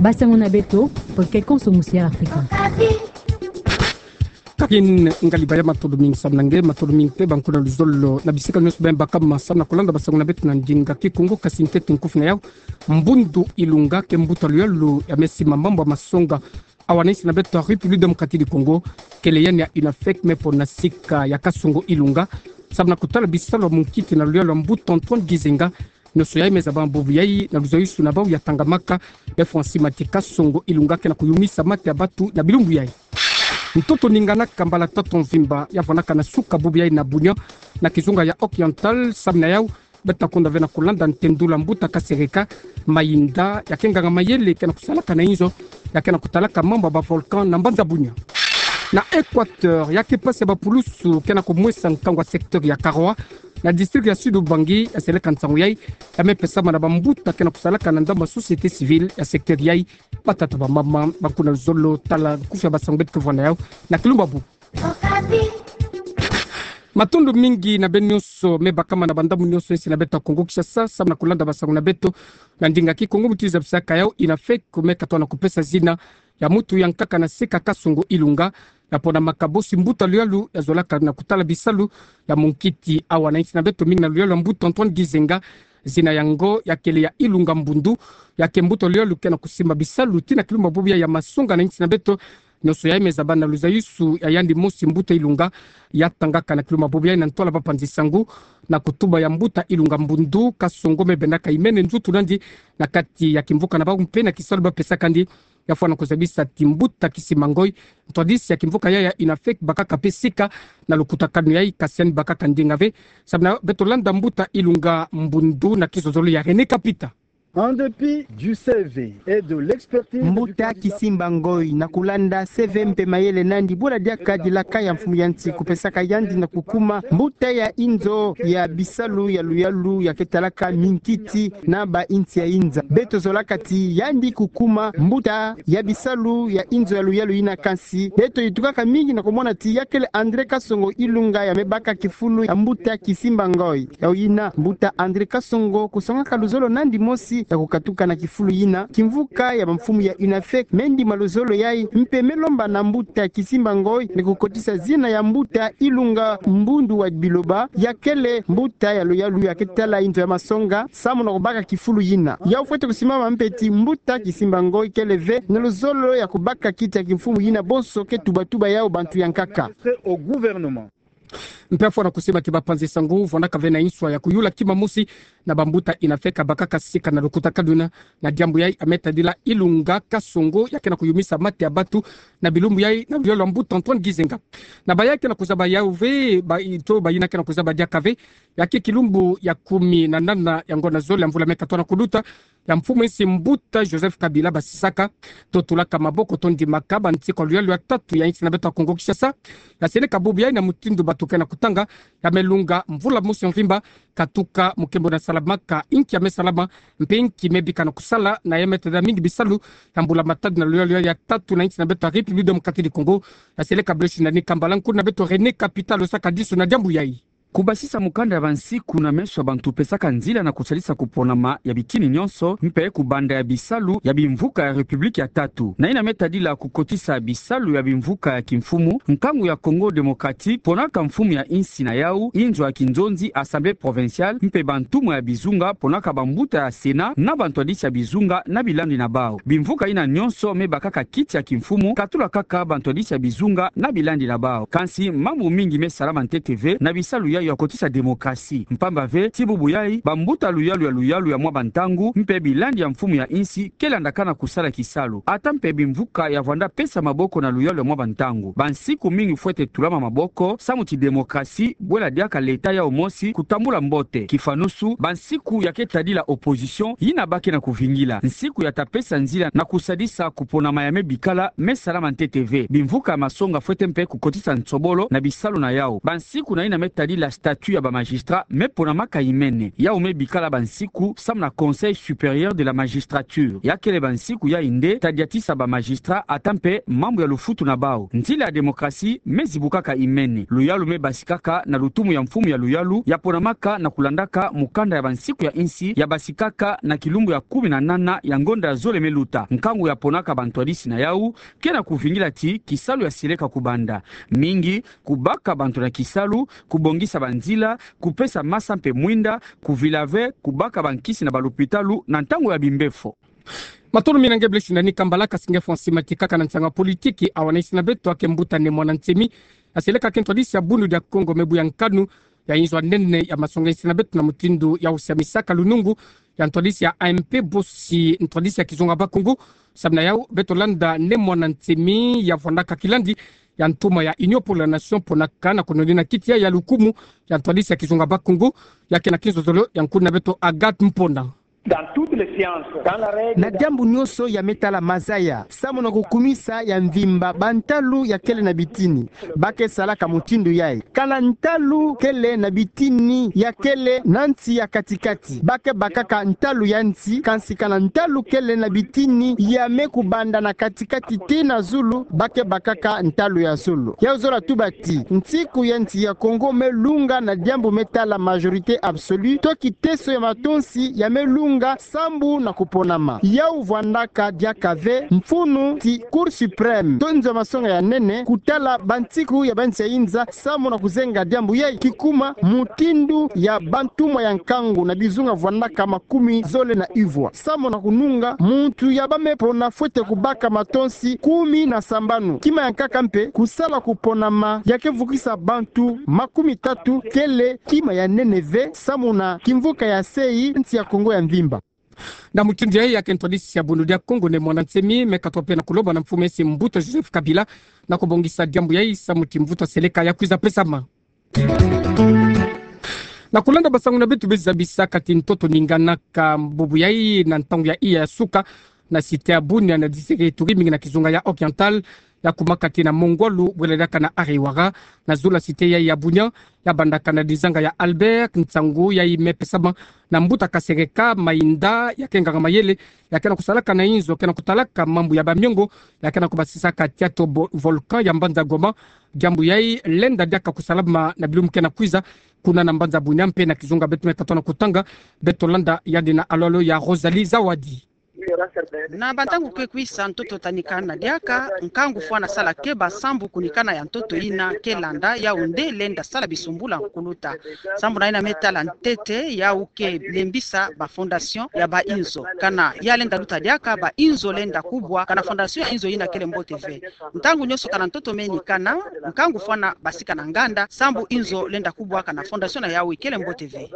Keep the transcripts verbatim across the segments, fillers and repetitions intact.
Basango na beto, po ke konso musi ya Afrika. Kakin ngali baya, matondo mingi samu na nge, matondo mingi mpe bankuna luzolo na bisika nyonso beno baka ma samu na kulanda basango na beto na ndinga Kikongo. Kasi ntete nkufi na yau, mbundu ilunga ke mbuta luyalu ya mesi mamambu ya masonga awa na insi na beto ya République Démocratique du Congo, kele yani ya UNAFEC, me pona sika ya Kasongo Ilunga samu na kutala bisalu ya munkiti na luyalu ya mbuta Antoine Gizenga. Nyonso yai me zaba bubu yai na luzayusu na bau ya tangamaka be Francis Mati Kasongo Ilunga ke na kuyumisa mate ya batu na bilumbu yai. Ntoto ninganaka mbala tatu mvimba ya vwanaka na suka bubu yai na Bunia, na kizunga ya Occidental, samu na yau beto na konda ve na kulanda ntendula mbuta Kasereka Mayinda, ya ke nganga-mayele ke na kusalaka na inzo ya ke na kutalaka mambu ya ba volcan na mbanza Bunia. Na Équateur, ya ke pasi ya bapulusu ke na kumwesa nkangu ya secteur ya Karoua, na district ya Sud-Ubangi, ya seleka nsangu yai ya me pesama na bambuta ke na kusalaka na ndambu ya société civile ya secteur yai. Batata, bamama, bankuna luzolo, tala nkufi ya basango beto ke vwa na yau na kilumbu ya bubu. Matondo mingi na beno nyonso me bakama na bandambu nyonso ya insi na beto ya Kongo Kinshasa samu na kulanda basango na beto na ndinga Kikongo. Muti zabisaka yau, UNAFEC me katoa na kupesa zina ya mutu ya nkaka na sika Kasongo Ilunga ya pona makabosi mbuta luyalu ya zolaka na kutala bisalu ya munkiti awa na insi na beto, mingi na luyalu ya mbuta Antoine Gizenga. Zina yango ya kele ya Ilunga Mbundu, ya ke mbuta luyalu ke na kusimba bisalu tii na kilumbu ya bubu yai ya masonga na insi na beto. Nyonso yai me zaba na luzayusu ya yandi mosi mbuta Ilunga, ya tangaka na kilumbu ya bubu yai na ntwala bapanzi-sango na kutuba ya mbuta Ilunga Mbundu, Kasongo me bendaka imene nzutu na yandi na kati ya kimvuka na bau mpe na kisalu bapesaka yandi. Ya fwana kuzabisa ti mbuta Kisimba Ngoy, ntwadisi ya kimvuka yai ya UNAFEC, bakaka mpe sika na lukutakanu yai, kasi yandi bakaka ndinga ve. Samu na beto landa mbuta Ilunga Mbundu na kizozolo ya René Kapita. En dépit du C V et de l'expertise du Mbuta candidat Kisimba Ngoy, na kulanda C V mpe mayele na yandi, bula diaka dilaka ya mfumu ya nsi kupesaka yandi na kukuma mbuta ya inzo ya bisalu ya luyalu ya ke talaka minkiti na ba insi ya inza, beto zolaka ti yandi kukuma mbuta ya bisalu ya inzo ya luyalu yina. Kansi beto yitukaka mingi na kumona ti ya kele André Kasongo Ilunga ya me baka kifulu ya mbuta Kisimba Ngoy. Yau yina, mbuta André Kasongo kusongaka luzolo na yandi mosi ya kukatuka na kifulu yina. Kimvuka ya bamfumu ya UNAFEC me ndima luzolo yai mpe me lomba na mbuta Kisimba Ngoy ni kukotisa zina ya mbuta Ilunga Mbundu wa Biloba, ya kele mbuta ya luyalu ya ke tala inzo ya masonga samu na kubaka kifulu yina. Yau fwete kusimama mpe ti mbuta Kisimba Ngoy kele ve na luzolo ya kubaka kiti ya kimfumu yina bonso ke tuba-tuba yau bantu ya nkaka. Au gouvernement. Mpe ya fwana kusimba ti bapanzi-sango vwandaka ve na inswa ya kuyula kima mosi na bambuta UNAFEC bakaka sika na lukutakanu yina. Na diambu yai ya me tadila Ilunga Kasongo ya ke na kuyumisa mate ya batu na bilumbu yai na luyalu ya mbuta Antoine Gizenga. Na baya ke na kuzaba yau ve, ba ito bayina ke na kuzaba diaka ve, ya ke kilumbu ya kumi na nana ya ngonda zole ya mvula me katoa na kuluta, ya mfumu insi mbuta Joseph Kabila basisaka to tulaka maboko to ndimaka bantikwa luyalu ya tatu ya insi na beto ya Kongo Kinshasa, ya seleka bubu yai na mutindu bato ke na kutanga, ya me lunga mvula mosi ya mvimba, katuka mukembo na salamaka inki ya me salama, mpe inki me bika na kusala, na ya me tadila mingi bisalu ya mbula matadi na luyalu ya tatu na insi na beto ya République Démocratique du Congo. Ya seleka Blaise Ndani Kambala, nkuna beto René Kapita alosaka disu na diambu yai. Kubasisa mukanda ya bansiku na meso ya bantu pesaka nzila na kusalisa kuponama ya bitini nyonso, mpe kubanda ya bisalu ya bimvuka ya République ya tatu. Na yina me tadila kukotisa bisalu ya bimvuka ya kimfumu, nkangu ya Congo Démocratique ponaka mfumu ya insi na yau, inzo ya kinzonzi, Assemblée provinciale, mpe bantumwa ya bizunga ponaka bambuta ya Sénat na bantwadisi ya bizunga na bilandi na bau. Bimvuka yina nyonso me bakaka kiti ya kimfumu, katula kaka bantwadisi ya bizunga na bilandi na bau. Kansi mambu mingi me salama ntete ve na bisalu yayi ya kotisa démocratie. Mpamba ve, ti bubu yayi, bambuta luyalu ya luyalu ya mwa bantangu, mpe bilandi ya mfumu ya insi, ke landaka na kusala kisalu. Ata mpe bimvuka ya vwanda pesa maboko na luyalu ya mwa bantangu, bansiku mingi fwete tulama maboko, samu ti démocratie, bwela diaka l'État yau mosi kutambula mbote. Kifanusu, bansiku ya ke tadila opposition, yina ba ke na kuvingila, nsiku ya ta pesa nzila na kusadisa kuponama ya me bikala, me salama ntete ve. Bimvuka ya masonga fwete mpe kukotisa nsobolo na bisalu na yau. Bansiku na yina me tadila statut ya ba magistrats me ponamaka imene. Yawu me bikala bansiku samu na Conseil supérieur de la magistrature. Ya kele bansiku yayi nde ta diatisa ba magistrats ata mpe mambu ya lufutu na bawu. Nzila ya démocratie me zibukaka imene. Luyalu me basikaka na lutumu ya mfumu ya luyalu ya ponamaka na kulandaka mukanda ya bansiku ya insi ya basikaka na kilumbu ya kumi na nana ya ngonda ya zole me luta. Nkangu ya ponaka bantwadisi na yawu ke na kuvingila ti kisalu ya seleka kubanda. Mingi, kubaka bantu na kisalu, kubongisa banzila, kupesa masa mpe mwinda, kuvila ve, kubaka bankisi na balopitalu na ntangu ya bimbefo. Matondo mingi na nge Blaise Ndani Kambala, kasi nge François Matika, kaka na nsanga politiki, awa na insi na beto ake mbuta Ne Muanda Nsemi, aseleka ke ntwadisi ya Bundu dia Kongo me buya nkanu ya inzo ya nene ya masonga insi na beto na mutindu ya usia misaka lunungu ya ntwadisi ya A M P, bosi ntwadisi ya kizunga Bakongo. Samu na yawu, beto landa Ne Muanda Nsemi ya vwandaka kilandi ya ntuma ya Union pour la Nation ponaka na kono dina kiti ya, ya lukumu ya ntwadisi ya kizunga Bakongo, ya ke na kinzozolo ya nkuna beto Agathe Mponda. Dans toutes les sciences, dans la règle, na diambu nyonso ya me tala mazaya, samu na kukumisa ya mvimba bantalu ya kele na bitini, ba ke salaka mutindu yayi. Kana ntalu kele na bitini ya kele na nsi ya katikati, ba ke bakaka ntalu ya nsi, kansi kana ntalu kele na bitini ya me kubanda na katikati tii na zulu, ba ke bakaka ntalu ya zulu. Yawu zola tuba ti nsiku ya nsi ya Kongo me lunga na diambu me tala majorité absolue, to kiteso ya matonsi ya me lunga sambu na kuponama. Yawu vwandaka diaka ve mfunu ti Cour suprême, to nzo ya masonga ya nene, kutala bansiku ya bansi ya inza samu na kuzenga diambu yayi, kikuma mutindu ya bantumwa ya nkangu na bizunga vwandaka makumi zole na ivwa. Samu na kununga muntu ya ba me pona fwete kubaka matonsi kumi na sambanu. Kima ya nkaka mpe, kusala kuponama ya ke vukisa bantu makumi tatu kele kima ya nene ve samu na kimvuka ya sei nsi ya Kongo ya mvimba. Na mutindu yayi, ya ke ntwadisi ya Bundu dia Kongo Ne Muanda Nsemi me katwa mpe na kuloba na mfumu esi mbuta Joseph Kabila na kubongisa diambu yayi samu ti mvutu ya seleka ya kwiza pesama. Na kulanda basangu na beto, bezi zabisa kati ntoto ninganaka bubu yayi na ntangu ya iya ya suka na cité ya Bunia na district ya Ituri, mingi na kizunga ya Oriental, ya kuma kati na Mongwalu, bwela diaka na Ariwara, na zulu ya cité yayi ya Bunia, ya bandaka na dizanga ya Albert. Nsangu yayi me pesama na mbuta Kasereka Mainda, ya ke nganga-mayele, ya ke na kusalaka na inzo ke na kutalaka mambu ya bamiongo, ya ke na kubasisaka tiato bo-, volcan ya mbanza Goma. Diambu yayi lenda diaka kusalama na bilumbu ke na kwiza, kuna na mbanza Bunia mpe na kizunga. Beto me katwa na kutanga, beto landa yandi na alolo ya Rosalie Zawadi. Na bantangu ke kwisa, ntoto ta nikana diaka, nkangu fwana sala keba sambu kunikana ya ntoto yina ke landa, yawu nde lenda sala bisumbula nkuluta. Sambu na yina me tala ntete, yawu ke lembisa ba fondation ya ba inzo. Kana ya lenda luta diaka, ba inzo lenda kubwa, kana fondation ya inzo yina kele mbote ve. Ntangu nyonso kana ntoto me nikana, nkangu fwana basika na nganda, sambu inzo lenda kubwa kana fondation na yawu ikele mbote ve.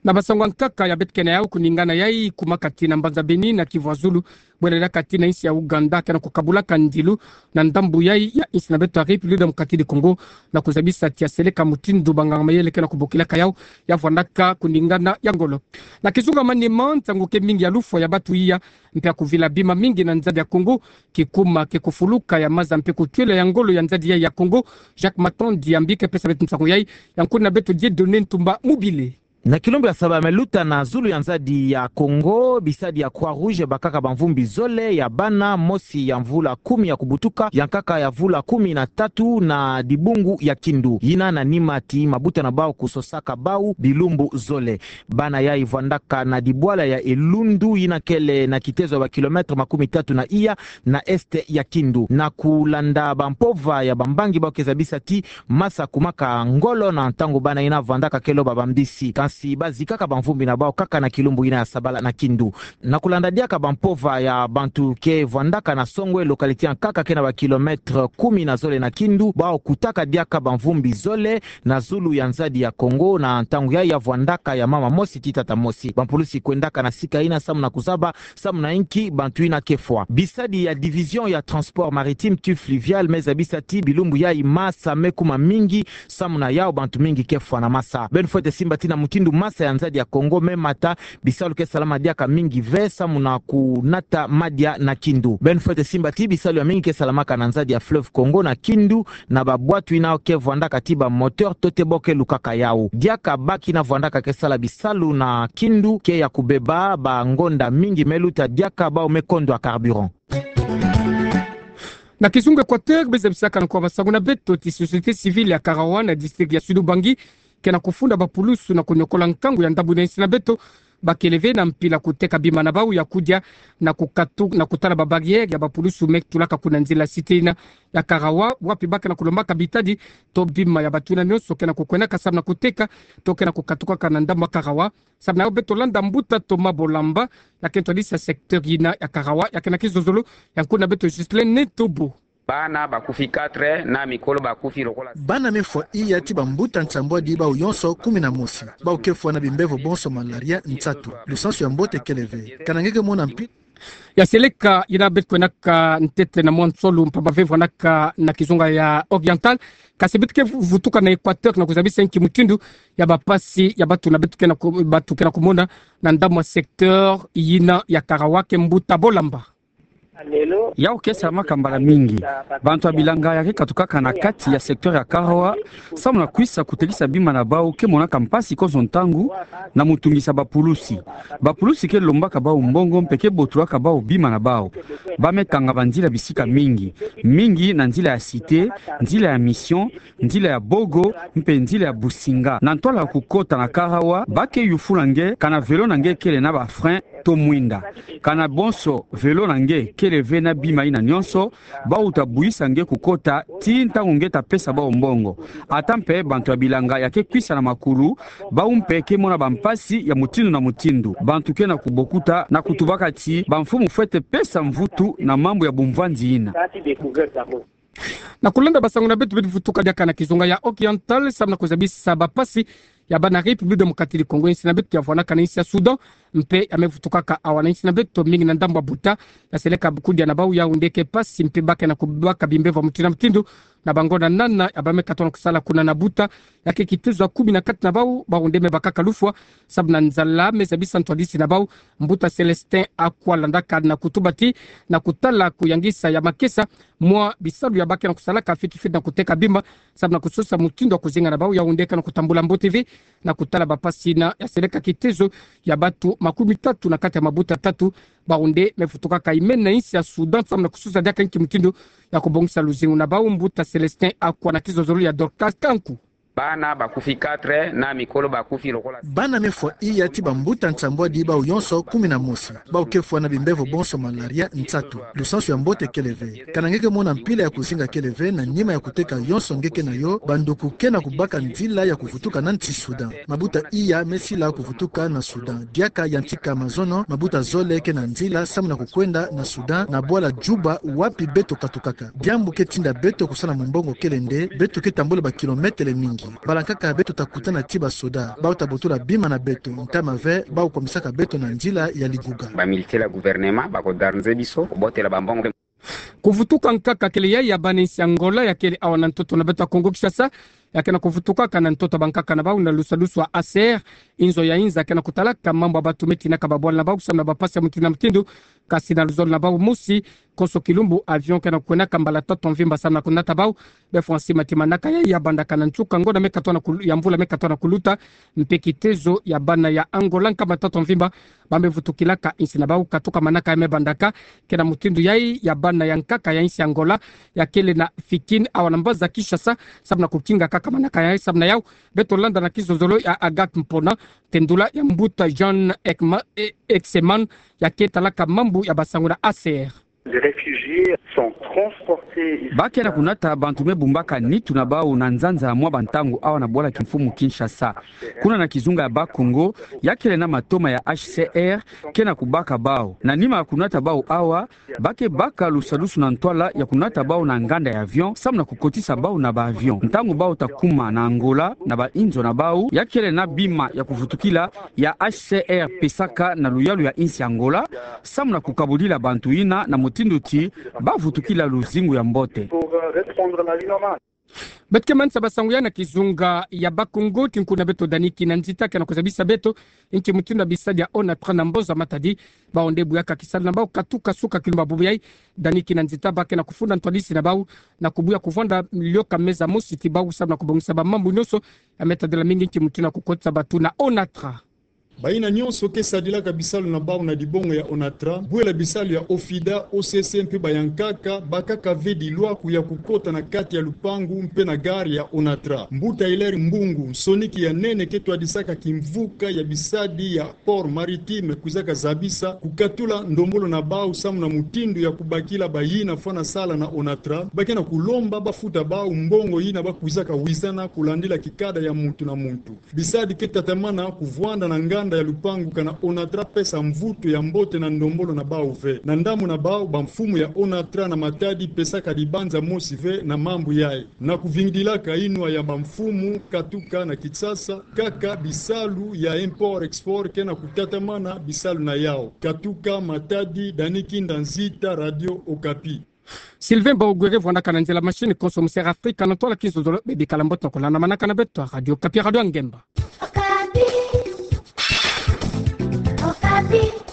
Na basangu ya nkaka ya beto ke na yawu, kuningana yayi kuma kati na mbanza Beni na Kivu ya Zulu, bwela diaka kati na insi ya Ouganda, ke na kukabulaka ndilu na ndambu yayi ya insi na beto ya République Démocratique du Congo, na kuzabisa ti ya seleka mutindu banganga-mayele ke na kubokilaka yawu, ya vwandaka kuningana ya ngolo. Na kizunga Maniema, nsangu ke mingi ya lufwa ya bantu iya mpe ya kuvila bima mingi na nzadi ya Kongo, kikuma ke kufuluka ya maza mpe kutwela ya ngolo ya nzadi yayi ya Kongo. Jacques Matondi Yambi ke pesa beto nsangu yayi, ya nkuna beto Dieudonné Ntumba Mobile. Na kilumbu ya saba me luta, na zulu ya nzadi ya Kongo, bisadi ya Croix-Rouge bakaka bamvumbi zole ya bana, mosi ya mvula kumi ya kubutuka, ya nkaka ya mvula kumi na tatu, na dibungu ya Kindu, yina na nima ti mabuta na bawu kusosaka bawu bilumbu zole. Bana yayi vwandaka na dibwala ya Elundu, yina kele na kitezo ya ba kilomètre makumi tatu na iya na est ya Kindu. Na kulanda bampova ya bambangi, bawu ke zabisa ti masa kumaka ngolo na ntangu bana yina vwandaka ke loba bambisi. Kansi bazikaka bamvumbi na bawu kaka na kilumbu yina ya sabala na Kindu. Na kulanda diaka bampova ya bantu ke vwandaka na Songwe, localité ya nkaka ke na ba kilomètre kumi na zole na Kindu, bawu kutaka diaka bamvumbi zole na zulu ya nzadi ya Kongo, na ntangu yayi ya vwandaka ya mama mosi ti tata mosi. Bampulusi kwendaka na sika yina samu na kuzaba samu na inki bantu yina ke fwa. Bisadi ya division ya transport maritime tu fluvial me zabisa ti bilumbu yayi masa me kuma mingi, samu na yawu bantu mingi ke fwa na masa. Beno fwete simba ti na mutindu Ndu masa ya nzadi ya Congo me mata, bisalu ke salama diaka mingi ve samu na kunata madia na Kindu. Beno fwete simba ti bisalu ya mingi ke salamaka na nzadi ya fleuve Congo na Kindu, na babwatu yina ke vwandaka ti ba moteur to te bo ke lukaka yawu. Diaka ba kina vwandaka ke sala bisalu na Kindu ke ya kubeba ba ngonda mingi me luta diaka bawu me kondwa carburant. Na kizunga Equateur, be zabisaka na kwa basangu na beto ti société civile ya Karawa na district ya Sud-Ubangi ke na kufunda bapulusu na kuniokola nkangu ya ndambu na insi na beto, ba kele ve na mpila kuteka bima na bawu ya kudia na kukatu-, na kutala ba barrière ya bapulusu me tulaka kuna nzila cité yina ya Karawa, wapi ba ke na kulombaka bitadi to bima ya bato yina nyonso ke na kukwenaka samu na kuteka to ke na kukatukaka na ndambu ya Karawa. Samu na yo beto landa mbuta Thomas Bolamba, ya ke ntwadisi ya secteur yina ya Karawa, ya ke na kizozolo ya nkuna beto Ghislain Netobo. Bana bakufi quatre na mikolo bakufi lokola. Bana me fwa iya ti bambuta nsambwadi bawu yonso kumi na mosi. Bawu ke fwa na bimbevo bonso malaria, nsatu. Lusansu ya mbote kele ve. Kana nge ke mona mpi. Ya seleka yina beto kwenaka ntete na mwa nsolo mpamba ve vwanaka na kizunga ya Oriental. Kasi beto ke vutuka na Equateur na kuzabisa nki mutindu ya bapasi ya bato na beto ke na ku-, bato ke na kumona na ndambu ya secteur yina ya Karawa ke mbuta Bolamba. Yawu ke salamaka mbala mingi. Bantu ya bilanga ya ke katukaka na kati ya secteur ya Karawa, samu na kwisa kutekisa bima na bawu ke monaka mpasi konso ntangu na mutungisa bapulusi. Bapulusi ke lombaka bawu mbongo mpe ke botolaka bawu bima na bawu. Ba me kanga banzila bisika mingi, mingi na nzila ya cité, nzila ya Mission, nzila ya Bogo, mpe nzila ya Businga. Na ntwala ya kukota na Karawa, ba ke yufula nge, kana vélo na nge kele na ba frein to mwinda. Kana bonso vélo na nge kele ve na bima yina nyonso, bawu ta buyisa nge kukota ti ntangu nge ta pesa bawu mbongo. Ata mpe bantu ya bilanga ya ke kwisa na makulu, bawu mpe ke mona bampasi ya mutindu na mutindu. Bantu ke na kubokuta na kutubaka ti bamfumu fwete pesa mvutu na mambu ya bumvwanzi yina. Na kulanda basangu na beto, beto vutuka diaka na kizunga ya Oriental, samu na kuzabisa bapasi ya bana République Démocratique du Congo, insi na beto ya vwanaka na insi ya Soudan, mpe ya me vutukaka awa na insi na beto mingi na ndambu ya buta, ya seleka kudia na bawu Yaoundé ke pasi, mpe ba ke na kubaka bimbevo mutindu na mutindu, na bangonda nana ya ba me katono kusala kuna na buta, ya ke kitezo ya kumi na kati na bawu, bawu nde me bakaka lufwa, samu na nzala, me zabisa ntwadisi na bawu, mbuta Célestin Akwa landaka na kutuba ti, na kutala kuyangisa ya makesa, mwa bisalu ya ba ke na kusalaka fiti fiti na kuteka bima, samu na kusosa mutindu ya kuzinga na bawu Yaoundé ke na kutambula mbote ve, na kutala bapasi yina ya seleka kitezo ya bato makumi tatu na kati ya mabuta tatu, bawu nde me vutukaka imena insi ya Soudan, samu na kusosa diaka nki mutindu ya kubongisa luzingu na bawu, mbuta Célestin Akwa na kizozolo ya Dorcas Kanku. Bana bakufi quatre na mikolo bakufi lokola. Bana me fwa iya ti bambuta nsambwadi bawu yonso kumi na mosi. Bawu ke fwa na bimbevo bonso malaria, nsatu. Lusansu ya mbote kele ve. Kana nge ke mona mpila ya kuzinga kele ve na nima ya kuteka yonso nge ke na yo, banduku ke na kubaka nzila ya kuvutuka na nsi Soudan. Mabuta iya me sila kuvutuka na Soudan. Diaka yantika mazono, mabuta zole ke na nzila samu na kukwenda na Soudan, na bwala Juba, wapi beto katukaka. Diambu ke tinda beto kusala mumbongo kele nde, beto ke tambula ba kilometele mingi. Mbala nkaka beto ta kutana ti basoda, bawu ta botola bima na beto, ntama ve, bawu kwamisaka beto na nzila ya liguga. Ba militaire ya gouvernement, ba ko darnze biso, kobotela bambongo. Kuvutuka nkaka kele yayi ya bana insi Angola ya kele awa na ntoto na beto ya Kongo Kinshasa, ya ke na kuvutukaka na ntoto ya bankaka na bawu na lusalusu ya A C R, inzo ya inza ke na kutalaka mambu ya bato me tinaka babwala na bawu samu na bapasi ya mutindu na mutindu, kasi na luzolo na bawu mosi, konso kilumbu avion ke na kwenaka mbala tatu mvimba samu na kunata bawu, be fwa nsi mati manaka ya, ya bandaka na nsuka ngonda me katono na kul-, ya mvula me katono na kuluta, mpe kitezo ya bana ya Angola nkama tatu mvimba, ba me vutukilaka insi na bawu katuka manaka ya me bandaka, ke na mutindu yayi ya bana ya nkaka ya insi Angola, ya kele na Fikin awa na mbaza Kinshasa, samu na kukinga kaka manaka yayi, samu na yawu, beto landa na kizozolo ya Agathe Mpona, tendula ya mbuta Jean Ekma-, E-, Exeman, ya ke talaka mambu ya basangu na A C R. Les réfugiés sont transportés ici. Ba ke na kunata bantu me bumbaka nitu na bawu na nzanza mwa bantangu awa na bwala kimfumu Kinshasa. Kuna na kizunga ya Bas-Congo, ya kele na matoma ya H C R ke na kubaka bawu. Na nima ya kunata bawu awa, ba ke baka lusalusu na ntwala ya kunata bawu na nganda ya avion, samu na kukotisa bawu na ba avion. Ntangu bawu ta kuma na Angola, na ba inzo na bawu, ya kele na bima ya kuvutukila ya H C R pesaka na luyalu ya insi Angola, samu na kukabulila bantu yina na mutindu ti ba vutukila luzingu ya mbote. Pour, euh, reprendre la vie normale. Beto ke manisa basangu ya na kizunga ya Bakongo, tinko na beto Dany Kinanzita ke na kuzabisa beto inki mutindu bisadi ya ONATRA na Mboza Matadi, bawu nde buyaka kisalu na bawu katuka suka kilumba bubu yayi. Dany Kinanzita bake na kufunda ntwadisi na bawu na kubuya kuvwanda lioka meza mosi ti bawu samu na kubongisa bamambu nyonso ya me tadila mingi inki mutindu kukotisa batu na ONATRA. Bayina nyonso ke sadilaka bisalu na bawu na dibongo ya ONATRA, bwela bisalu ya OFIDA, OCC mpe bayankaka, bakaka ve dilwaku ya kukota na kati ya lupangu mpe na gare ya ONATRA. Mbuta Hilaire Mbungu, nsoniki ya nene ke twadisaka kimvuka ya bisadi ya port maritime, kwizaka zabisa kukatula ndombolo na bawu samu na mutindu ya kubakila bayina fwana sala na ONATRA, bake na kulomba bafuta bawu mbongo yina bakwizaka wizana kulandila kikada ya muntu na muntu. Bisadi ke tatamana kuvwanda na nganda ya lupangu kana ONATRA pesa mvutu ya mbote na ndombolo na bawu ve. Na ndambu na bawu, bamfumu ya ONATRA na Matadi pesaka dibanza mosi ve na mambu yayi. Na kuvingidilaka inwa ya bamfumu katuka na Kinshasa, kaka bisalu ya import-export ke na kutatamana bisalu na yawu. Katuka Matadi, Dany Kinanzita, Radio Okapi. Sylvain Bawugwere vwandaka na nzila machine, konso musi Air Afrique, na ntwala kinzonzolo, bebikala mbote na kolanda manaka na beto ya Radio Okapi, radio ya ngemba. Okapi. Okapi.